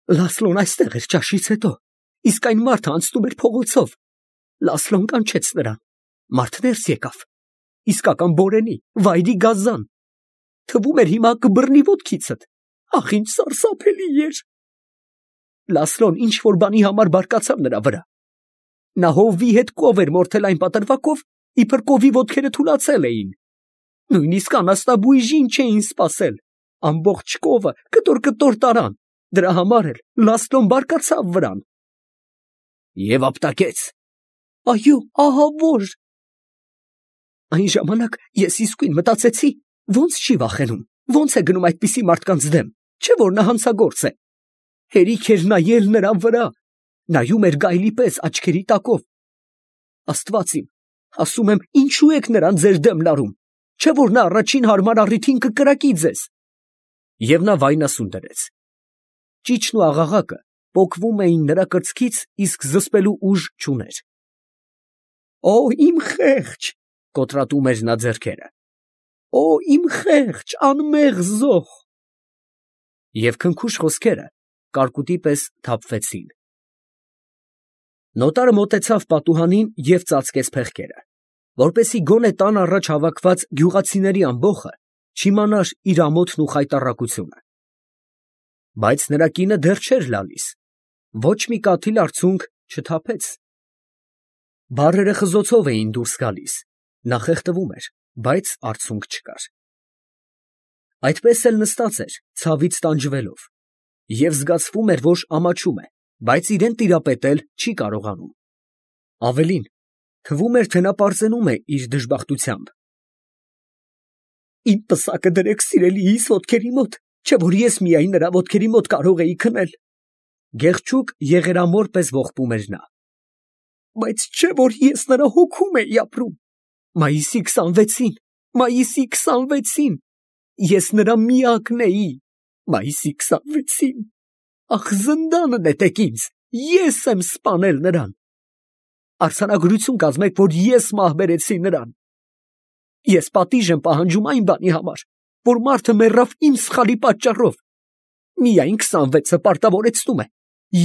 Լասլոն այստեղ էր ճաշից հետո, իսկ այն մարդը անցնում էր փողոցով։ Լասլոն կանչեց նրան, մարդ ներս եկավ, իսկական բորենի, վայրի գազան, թվում էր հիմա կբռնի ոտքիցդ, ախ ինչ սարսափելի էր։ Լասլոն ինչ որ բանի համար բարկացավ նրա վրա, նա հովվի հետ կով էր մորթել այն պատրվակով, իբր կովի ոտքերը թուլացել էին, նույնիսկ անասնաբույժին չէին սպասել, ամբողջ կովը կտոր տարան, դրա համար էլ Լասլոն բարկացավ վրան։ Եվ ապտակեց։ Այո, ահա որ։ Այն ժամանակ ես իսկույն մտածեցի, ոնց չի վախենում, ոնց է գնում այդպիսի մարդկանց դեմ, չէ որ նա հանցագործ է։ Հերիք էր նայել նրա վրա, նայում էր գայլի պես աչքերի տակով։ Աստված իմ, ասում եմ, ինչու եք նրան ձեր դեմ լարում, չէ որ նա առաջին հարմար առիթին կկրակի ձեզ։ Եվ նա վայնասուն դրեց։ Ճիչն ու աղաղակը պոկվում էին նրա կրծքից, իսկ զսպելու ուժ չուներ։ Օ, իմ խեղճ, կոտրատում էր նա ձեռքերը։ Օ, իմ խեղճ, անմեղ զոհ։ Եվ քնքուշ խոսքերը կարկուտի պես թափվեցին։ Նոտարը մոտեցավ պատուհանին և ծածկեց փեղկերը, որպեսզի գոնե տան առաջ հավաքված գյուղացիների ամբոխը չիմանար իր ամոթն ու խայտառակությունը։ Բայց նրա կինը դեռ չէր լալիս, ոչ մի կաթիլ արցունք չթափեց։ Բառերը խզոցով էին դուրս գալիս, նա խեղդվում էր, բայց արցունք չկար։ Այդպես էլ նստած էր, ցավից տանջվելով, և զգացվում էր, որ ամաչում է, բայց իրան տիրապետել չի կարողանում։ Ավելին, թվում էր, թե նա պարծենում է իր դժբախտությամբ։ Իմ պսակը դրեք սիրելիիս ոտքերի մոտ, չէ որ ես միայն նրա ոտքերի մոտ կարող էի քնել։ Գեղչուկ եղերամոր պես ողբում էր նա։ Բայց չէ որ ես նրա հոգում էի ապրում։ Մայիսի 26-ին, ես նրա միակն էի։ Մայիսի 26-ին, ախ զնդանը նետեք ինձ, ես եմ սպանել նրան։ Արձանագրություն կազմեք, որ ես մահբերեցի նրան։ Ես պատիժ եմ պահանջում այն բանի համար, որ մարդը մեռավ իմ սխալի պատճառով։ Միայն 26-ը պարտավորեցնում է,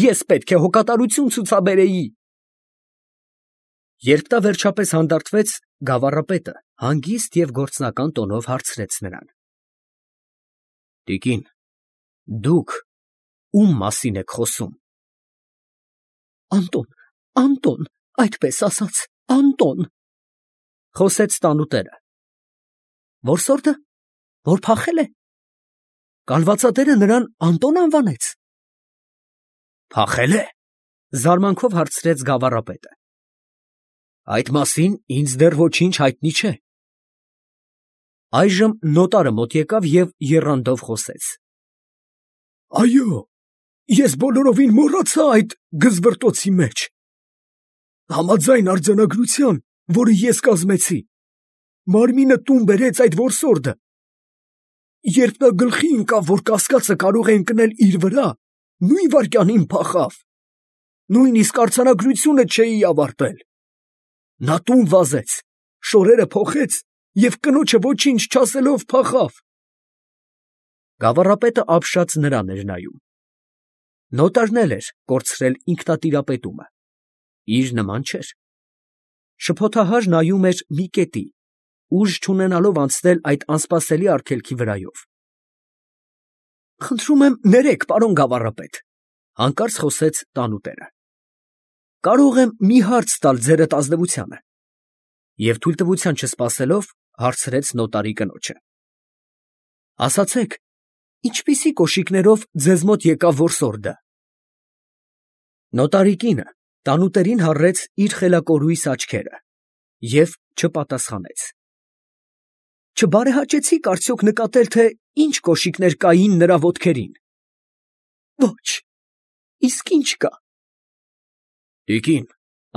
ես պետք է հոգատարություն ցուցաբերեի։ Երբ նա վերջապես հանդարտվեց, գավառապետը հանգիստ և գործնական տոնով հարցրեց նրան. Տիկին, դուք ում մասին եք խոսում։ Անտոն, այդպես ասած, Անտոն, խոսեց տանուտերը։ Որսորդը, որ փախել է։ Կալվածատերը նրան Անտոն անվանեց։ Փախել է, զարմանքով հարցրեց գավառապետը։ Այդ մասին ինձ դեռ ոչինչ հայտնի չէ։ Այժմ նոտարը մոտ եկավ և եռանդով խոսեց. Այո, ես բոլորովին մոռացա այդ գզվռտոցի մեջ։ Համաձայն արձանագրության, որը ես կազմեցի, մարմինը տուն բերեց այդ որսորդը։ Երբ նա գլխի ընկավ, որ կասկածը կարող է ընկնել իր վրա, նույն վայրկյանին փախավ։ Նույնիսկ արձանագրությունը չէի ավարտել։ Նա տուն վազեց, շորերը փոխեց և կնոջը ոչինչ չասելով փախավ։ Գավառապետը ապշած նրան էր նայում։ Նոտարն էլ էր կորցրել ինքնատիրապետումը։ Իր նման չէր։ Շփոթահար նայում էր մի կետի, ուժ չունենալով անցնել այդ անսպասելի արգելքի վրայով։ Խնդրում եմ ներեք, պարոն գավառապետ, հանկարծ խոսեց տանուտերը։ Կարող եմ մի հարց տալ ձերդ ազնվությանը։ Եվ թույլտվության չսպասելով, հարցրեց նոտարի կնոջը։ Ասացեք, ինչպիսի կոշիկներով ձեզ մոտ եկավ որսորդը։ Նոտարի կինը տանուտերին հառեց իր խելակորույս աչքերը և չպատասխանեց։ Չբարեհաճեցիք արդյոք նկատել, թե ինչ կոշիկներ կային նրա ոտքերին։ Ոչ, իսկ ինչ կա։ Տիկին,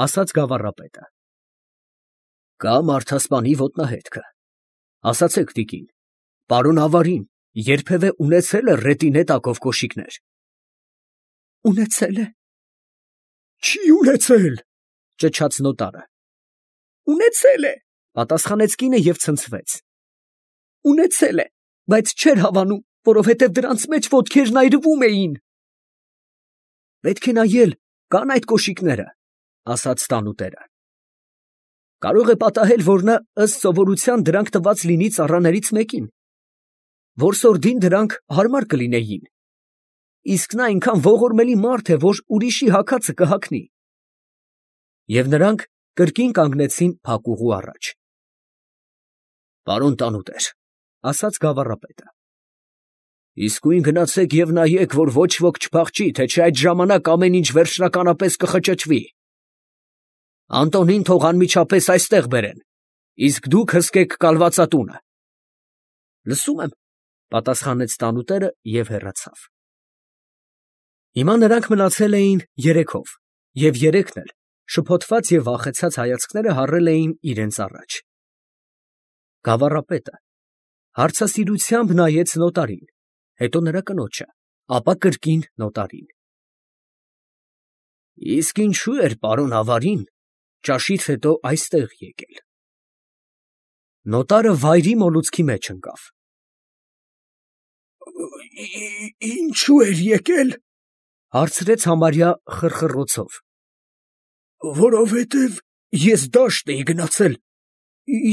ասաց գավառապետը, կա մարդասպանի ոտնահետքը։ Ասացեք, տիկին, պարոն Ավարին երբևէ ունեցել է ռետինե տակով կոշիկներ։ Ունեցել է։ Չի ունեցել, ճչաց նոտարը։ Ունեցել է, պատասխանեց կինը և ցնցվեց։ Ունեցել է, բայց չէր հավանում, որովհետև դրանց մեջ ոտքերն այրվում էին։ Պետք է նայել, կան այդ կոշիկները, ասաց տանուտերը։ Կարող է պատահել, որ նա ըստ սովորության դրանք տված լինի ծառաներից մեկին, որսորդին դրանք հարմար կլինեին, իսկ նա այնքան ողորմելի մարդ է, որ ուրիշի հագածը կհագնի։ Եվ նրանք կրկին կանգնեցին փակուղու առաջ։ Պարոն տանուտեր, ասաց գավառապետը, իսկույն գնացեք և նայեք, որ ոչ ոք չփախչի, թե չէ այդ ժամանակ ամեն ինչ վերջնականապես կխճճվի։ Անտոնին թող անմիջապես այստեղ բերեն, իսկ դուք հսկեք կալվածատունը։ Լսում եմ, պատասխանեց տանուտերը և հեռացավ։ Հիմա նրանք մնացել էին երեքով, և երեքն էլ շփոթված և վախեցած հայացքները հառել էին իրենց առաջ։ Գավառապետը հարցասիրությամբ նայեց նոտարին, հետո նրա կնոջը, ապա կրկին նոտարին։ Իսկ ինչու էր պարոն Ավարին ճաշից հետո այստեղ եկել։ Նոտարը վայրի մոլուցքի մեջ ընկավ։ Ինչու էր եկել, հարցրեց համարյա խռխռոցով։ Որովհետև ես դաշտ էի գնացել,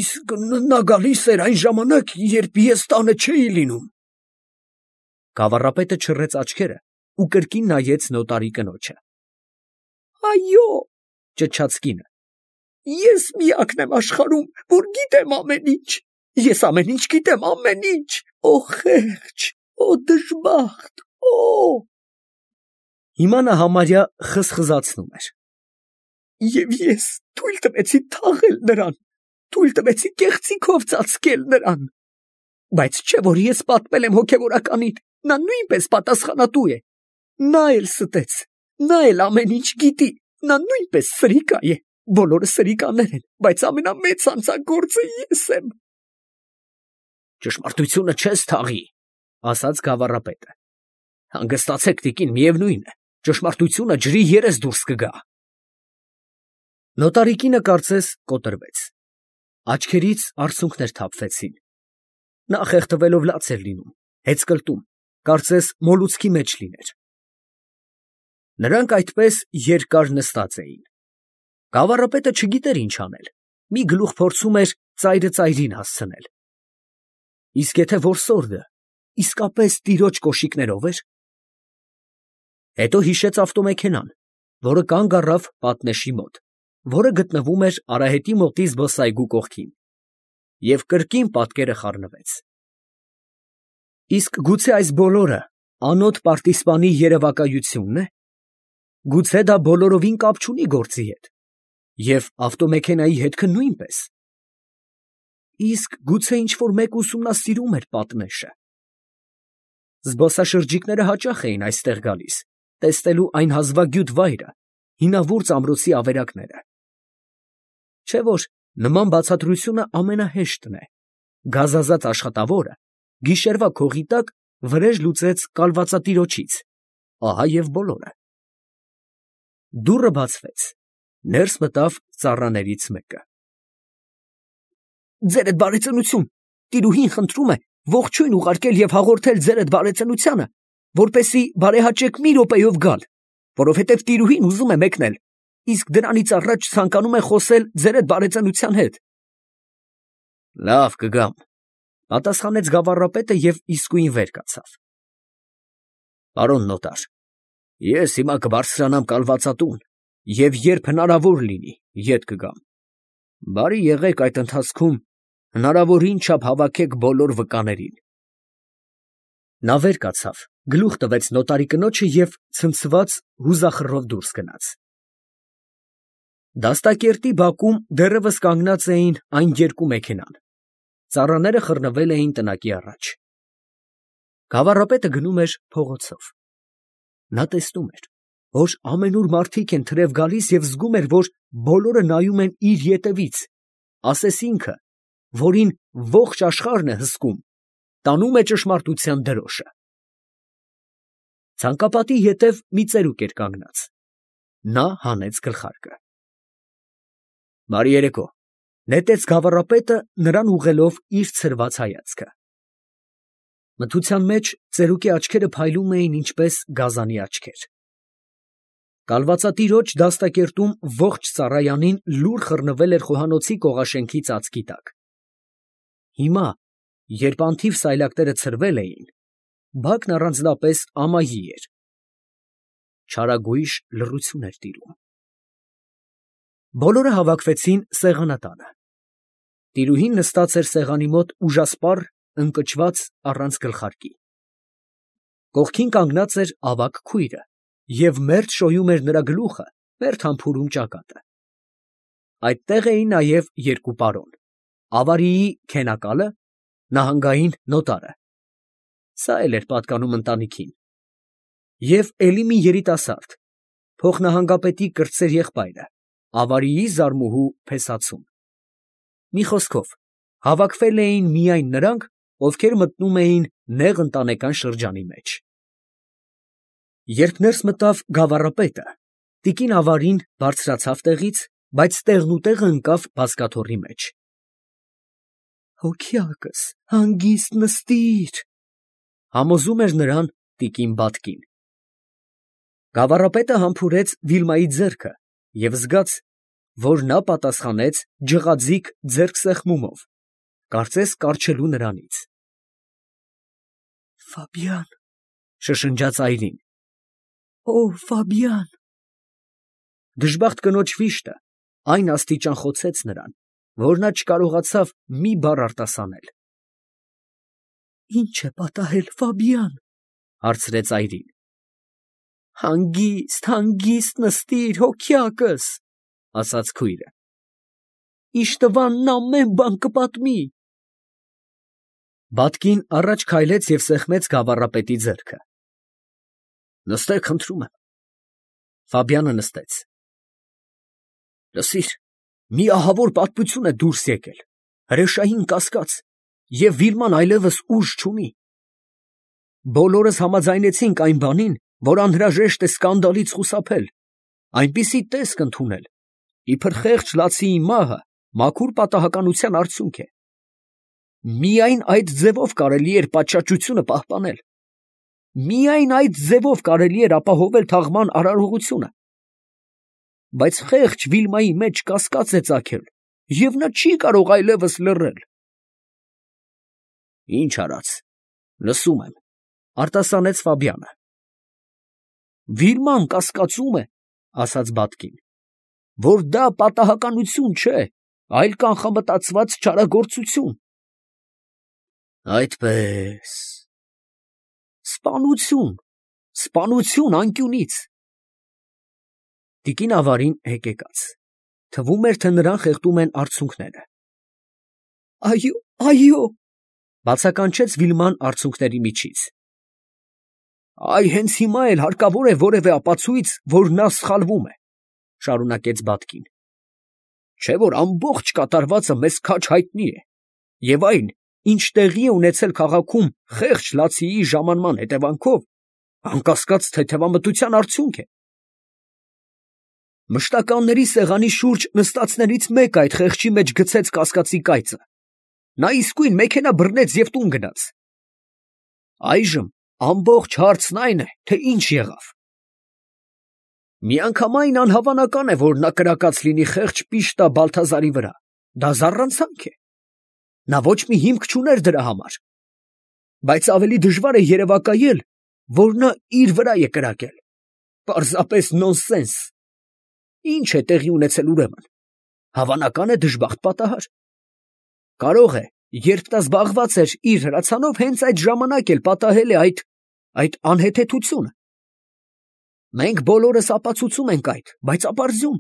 իսկ նա գալիս էր այն ժամանակ, երբ ես տանը չէի լինում։ Գավառապետը չռեց աչքերը ու կրկին նայեց նոտարի կնոջը։ Այո, ճչաց կինը, ես միակն եմ աշխարհում, որ գիտեմ ամեն ինչ, ես ամեն ինչ գիտեմ, ամեն ինչ, օ խեղճ, օ դժբախտ, օ… Հիմա նա համարյա խզխզացնում էր։ Եվ ես թույլ տվեցի թաղել նրան, թույլ տվեցի կեղծիքով ծածկել նրան, բայց չէ որ ես պատմել եմ հոգևորականին, նա նույնպես պատասխանատու է, նա էլ ստեց, նա էլ ամեն ինչ գիտի, նա նույնպես սրիկա է, բոլորը սրիկաներ են, բայց ամենամեծ հանցագործը ես եմ։ Ճշմարտությունը չես թաղի, ասաց գավառապետը։ Հանգստացեք տիկին, միևնույն է, ճշմարտությունը ջրի երես դուրս կգա։ Նոտարի կինը կարծես կոտրվեց, աչքերից արցունքներ թափվեցին, նա խեղդվելով լաց էր լինում, հեծկլտում, կարծես մոլուցքի մեջ լիներ։ Նրանք այդպես երկար նստած էին։ Գավառապետը չգիտեր ինչ անել, մի գլուխ փորձում էր ծայրը ծայրին հասցնել։ Իսկ եթե որսորդը իսկապես տիրոջ կոշիկներով էր։ Հետո հիշեց ավտոմեքենան, որը կանգ առավ պատնեշի մոտ, որը գտնվում էր արահետի մոտի զբոսայգու կողքին, և կրկին պատկերը խառնվեց։ Իսկ գուցե այս բոլորը անոտ պարտիզպանի երևակայությո՞ւնն է։ Գուցե դա բոլորովին կապ չունի գործի հետ, և ավտոմեքենայի հետքը նույնպես։ Իսկ գուցե ինչ֊որ մեկ ուսումնասիրում էր պատնեշը։ Զբոսաշրջիկները հաճախ էին այստեղ գալիս, տեսնելու այն հազվագյուտ վայրը, հինավուրց ամրոցի ավերակները։ Չէ՞ որ նման բացատրությունը ամենահեշտն է։ Գազազած աշխատավորը գիշերվա քողի տակ վրեժ լուծեց կալվածատիրոջից, ահա և բոլորը։ Դուռը բացվեց, ներս մտավ ծառաներից մեկը։ Ձերդ բարեծնություն, տիրուհին խնդրում է ողջույն ուղարկել և հաղորդել ձերդ բարեծնությանը, որպեսզի բարեհաճեք մի րոպեով գալ, որովհետև տիրուհին ուզում է մեկնել, իսկ դրանից առաջ ցանկանում է խոսել ձերդ բարեծնության հետ։ Լավ, կգամ, պատասխանեց գավառապետը և իսկույն վեր կացավ։ Պարոն նոտար, ես հիմա կբարձրանամ կալվածատուն և երբ հնարավոր լինի, ետ կգամ։ Բարի եղեք այդ ընթացքում հնարավորին չափ հավաքեք բոլոր վկաներին։ Նա վեր կացավ, գլուխ տվեց նոտարի կնոջը և ցնցված հուզախռով դուրս գնաց։ Դաստակերտի բակում դեռևս կանգնած էին այն երկու մեքենան, ծառաները խռնվել էին տնակի առաջ։ Գավառապետը գնում էր փողոցով։ Նա տեսնում էր, որ ամենուր մարդիկ են թրև գալիս և զգում էր, որ բոլորը նայում են իր ետևից, ասես ինքը, որին ողջ աշխարհն է հսկում, տանում է ճշմարտության դրոշը։ Ցանկապատի ետև մի ծերուկ էր կանգնած։ Նա հանեց գլխարկը։ Բարի երեկո, նետեց գավառապետը նրան ուղղելով իր ցրված հայացքը։ Մթության մեջ ծերուկի աչքերը փայլում էին ինչպես գազանի աչքեր։ Կալվածատիրոջ դաստակերտում ողջ Սարայանին լուր խռնվել էր խոհանոցի կողաշենքի ծածկի տակ։ Հիմա, երբ անթիվ սայլակները ցրվել էին, բակն առանձնապես ամայի էր։ Չարագույժ լռություն էր տիրում։ Բոլորը հավաքվեցին սեղանատանը։ Տիրուհին նստած էր սեղանի մոտ ուժասպառ, ընկճված, առանց գլխարկի։ Կողքին կանգնած էր ավագ քույրը և մերթ շոյում էր նրա գլուխը, մերթ համբուրում ճակատը։ Այդտեղ էին նաև երկու պարոն, ավարիի քենակալը, նահանգային նոտարը (սա էլ էր պատկանում ընտանիքին) և էլի մի երիտասարդ, փոխնահանգապետի կրտսեր եղբայրը, ավարիի զարմուհու փեսացուն։ Մի խոսքով, հավաքվել էին միայն նրանք, ովքեր մտնում էին նեղ ընտանեկան շրջանի մեջ։ Երբ ներս մտավ գավառապետը, տիկին Ավարին բարձրացավ տեղից, բայց տեղնուտեղը ընկավ բազկաթոռի մեջ։ «Հոգյակս, հանգիստ նստիր», համոզում էր նրան տիկին Բատկին։ Գավառապետը համբուրեց Վիլմայի ձեռքը և զգաց, որ նա պատասխանեց ջղաձիգ ձեռքսեղմումով, կարծես կառչելու նրանից։ «Ֆաբիան», շշնջաց այրին, «Օ, Ֆաբիան»։ Դժբախտ կնոջ վիշտը այն աստիճան խոցեց նրան, որ նա չկարողացավ մի բառ արտասանել։ «Ի՞նչ է պատահել, Ֆաբիան», հարցրեց այրին։ «Հանգիստ, հանգիստ նստիր, հոգյակս», ասաց քույրը։ «Իշտվանն ամեն բան կպատմի»։ Բատկին առաջ քայլեց և սեղմեց գավառապետի ձեռքը։ «Նստեք, խնդրում եմ»։ Ֆաբիանը նստեց։ «Լսիր, մի ահավոր պատմություն է դուրս եկել, հրեշային կասկած, և Վիլման այլևս ուժ չունի։ Բոլորս համաձայնեցինք այն բանին, որ անհրաժեշտ է սկանդալից խուսափել, այնպիսի տեսք ընդունել, իբր խեղճ լացիի մահը մաքուր պատահականության արդյունք է։ Միայն այդ ձևով կարելի էր պատշաճությունը պահպանել։ Միայն այդ ձևով կարելի էր ապահովել թաղման արարողությունը։ Բայց խեղճ Վիլմայի մեջ կասկած է ծագել, և նա չի կարող այլևս լռել»։ «Ինչ արած, լսում եմ», արտասանեց Ֆաբիանը։ «Վիլման կասկածում է, ֊ ասաց Բատկին, ֊ որ դա պատահականություն չէ, այլ կանխամտածված չարագործություն»։ «Այդպե՞ս»։ «Սպանություն, սպանություն անկյունից»։ Տիկին Ավարին հեկեկաց, թվում էր, թե նրան խեղդում են արցունքները։ «Այո, այո», բացականչեց Վիլման արցունքների միջից։ «Այ հենց հիմա էլ հարկավոր է որևէ ապացույց, որ նա սխալվում է», շարունակեց Բատկին։ «Չէ՞ որ ամբողջ կատարվածը մեզ քաջ հայտնի է, և այն, ինչ տեղի է ունեցել քաղաքում խեղճ լացիի ժամանման հետևանքով, անկասկած թեթևամտության արդյունք է։ Մշտականների սեղանի շուրջ նստածներից մեկը այդ խեղճի մեջ գցեց կասկածի կայծը։ Նա իսկույն մեքենա բռնեց և տուն գնաց։ Այժմ ամբողջ հարցն այն է, թե ինչ եղավ։ Միանգամայն անհավանական է, որ նա կրակած լինի խեղճ Պիշտա Բալթազարի վրա, դա զառանցանք է։ Նա ոչ մի հիմք չուներ դրա համար։ Բայց ավելի դժվար է երևակայել, որ նա իր վրա է կրակել։ Պարզապես նոնսենս։ Ինչ է տեղի ունեցել ուրեմն։ Հավանական է դժբախտ պատահար։ Կարող է, երբ նա զբաղված էր իր հրացանով, հենց այդ ժամանակ էլ պատահել է այդ անհեթեթությունը։ Մենք բոլորս ապացուցում ենք այդ, բայց ապարզյուն։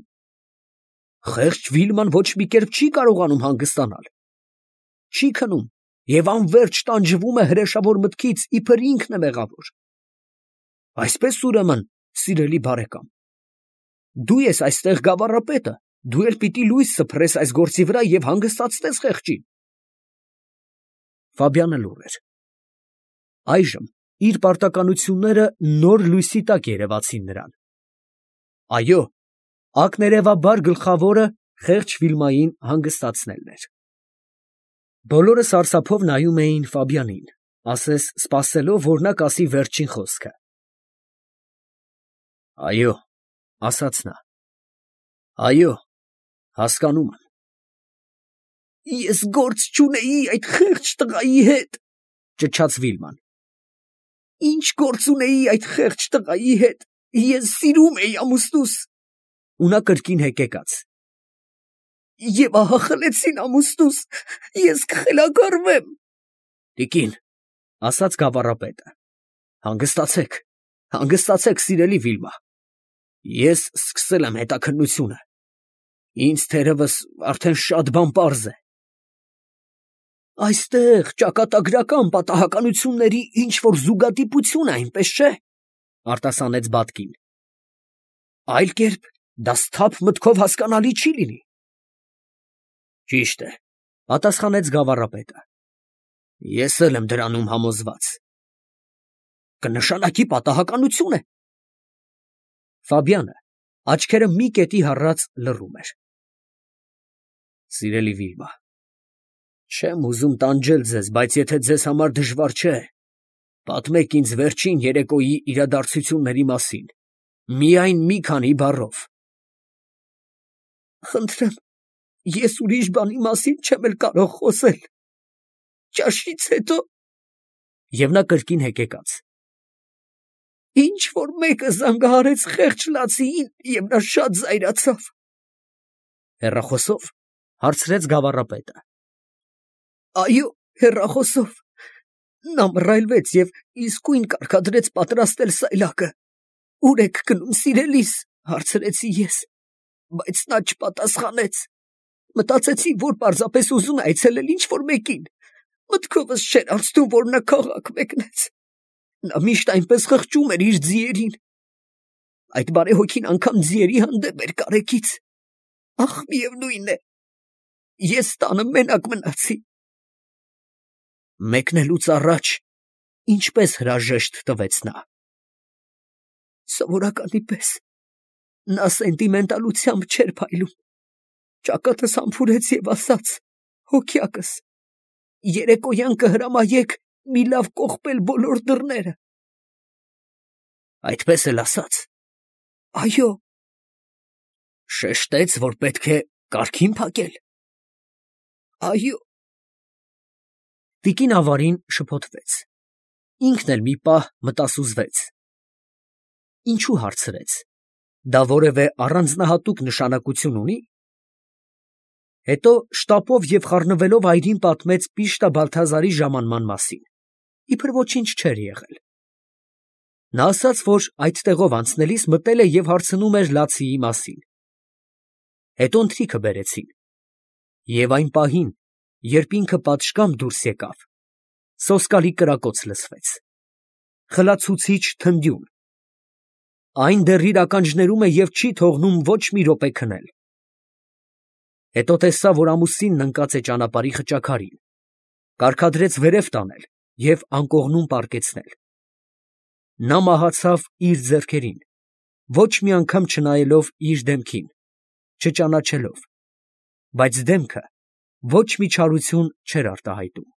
Խեղճ Վիլման ոչ մի կերպ չի կարողանում հանգստանալ։ Չի քնում և անվերջ տանջվում է հրեշավոր մտքից, իբր ինքն է մեղավոր։ Այսպես ուրեմն, սիրելի բարեկամ, դու ես այստեղ գավառապետը, դու էլ պիտի լույս սփռես այս գործի վրա և հանգստացնես խեղճին։ Ֆաբիանը լուռ էր։ Այժմ իր պարտականությունները նոր լույսի տակ երևացին նրան։ Այո, ակներևաբար գլխավորը խեղճ Վիլմային հանգստացնելն էր։ Բոլորը սարսափով նայում էին Ֆաբիանին, ասես սպասելով, որ նա կասի վերջին խոսքը։ Այո, ասաց նա։ Այո, հասկանում եմ։ Ես գործ չունեի այդ խեղճ տղայի հետ, ճչաց Վիլման։ Ինչ գործ ունեի այդ խեղճ տղայի հետ, ես սիրում էի ամուսնուս։ Ու նա կրկին հեկեկաց։ Եվ ահա խլեցին ամուսնուս, ես կխելագարվեմ։ Տիկին, ասաց գավառապետը, հանգստացեք, սիրելի Վիլմա, ես սկսել եմ հետաքննությունը, ինձ թերևս արդեն շատ բան պարզ է։ Այստեղ ճակատագրական պատահականությունների ինչ-որ զուգադիպություն է, այնպես չէ, արտասանեց Բատկին։ Այլ կերպ դա սթափ մտքով հասկանալի չի լինի։ Ճիշտ է, պատասխանեց գավառապետը։ Ես էլ եմ դրանում համոզված։ Կնշանակի պատահականություն է։ Ֆաբիանը աչքերը մի կետի հառած լռում էր։ Սիրելի Վիլմա, չեմ ուզում տանջել ձեզ, բայց եթե ձեզ համար դժվար չէ, պատմեք ինձ վերջին երեկոյի իրադարձությունների մասին, միայն մի քանի բառով։ Խնդրեմ, ես ուրիշ բանի մասին չեմ էլ կարող խոսել։ Ճաշից հետո… Եվ նա կրկին հեկեկաց։ Ինչ որ մեկը զանգահարեց խեղճ լացիին, և նա շատ զայրացավ։ Հեռախոսո՞վ, հարցրեց գավառապետը։ Այո, հեռախոսով։ Նա մռայլվեց և իսկույն կարգադրեց պատրաստել սայլակը։ Ուր եք գնում, սիրելիս, հարցրեցի ես, բայց նա չպատասխանեց։ Մտածեցի, որ պարզապես ուզում է այցելել ինչ-որ մեկին։ Մտքովս չէր անցնում, որ նա քաղաք մեկնեց։ Նա միշտ այնպես խղճում էր իր ձիերին։ Այդ բարեհոգին անգամ ձիերի հանդեպ էր կարեկից։ Ախ, միևնույն է, ես տանը մենակ մնացի։ Մեկնելուց առաջ ինչպես հրաժեշտ տվեց նա։ Սովորականի պես նա սենտիմենտալությամբ չէր փայլում։ Ճակատս համբուրեց և ասաց. հոգյակս, երեկոյան կհրամայեք մի լավ կողպել բոլոր դռները։ Այդպես էլ ասաց։ Այո։ Շեշտեց, որ պետք է կարգին փակել։ Այո։ Տիկին ավարին շփոթվեց։ Ինքն էլ մի պահ մտասուզվեց։ Ինչու հարցրեց։ Դա որևէ առանձնահատուկ նշանակություն ունի։ Հետո շտապով և խառնվելով այրին պատմեց Պիշտա Բալթազարի ժամանման մասին, իբր ոչինչ չէր եղել։ Նա ասաց, որ այդ տեղով անցնելիս մտել է և հարցնում էր լացիի մասին։ Հետո ընթրիքը բերեցին։ Եվ այն պահին, երբ ինքը պատշգամբ դուրս եկավ, սոսկալի կրակոց լսվեց։ Խլացուցիչ թնդյուն։ Այն դեռ իր ականջներում է և չի թողնում ոչ մի րոպե քնել։ Հետո տեսավ, որ ամուսինն ընկած է ճանապարհի խճաքարին, կարգադրեց վերև տանել և անկողնում պառկեցնել։ Նա մահացավ իր ձեռքերին, ոչ մի անգամ չնայելով իր դեմքին, չճանաչելով, բայց դեմքը ոչ մի չարություն չէր արտահայտում։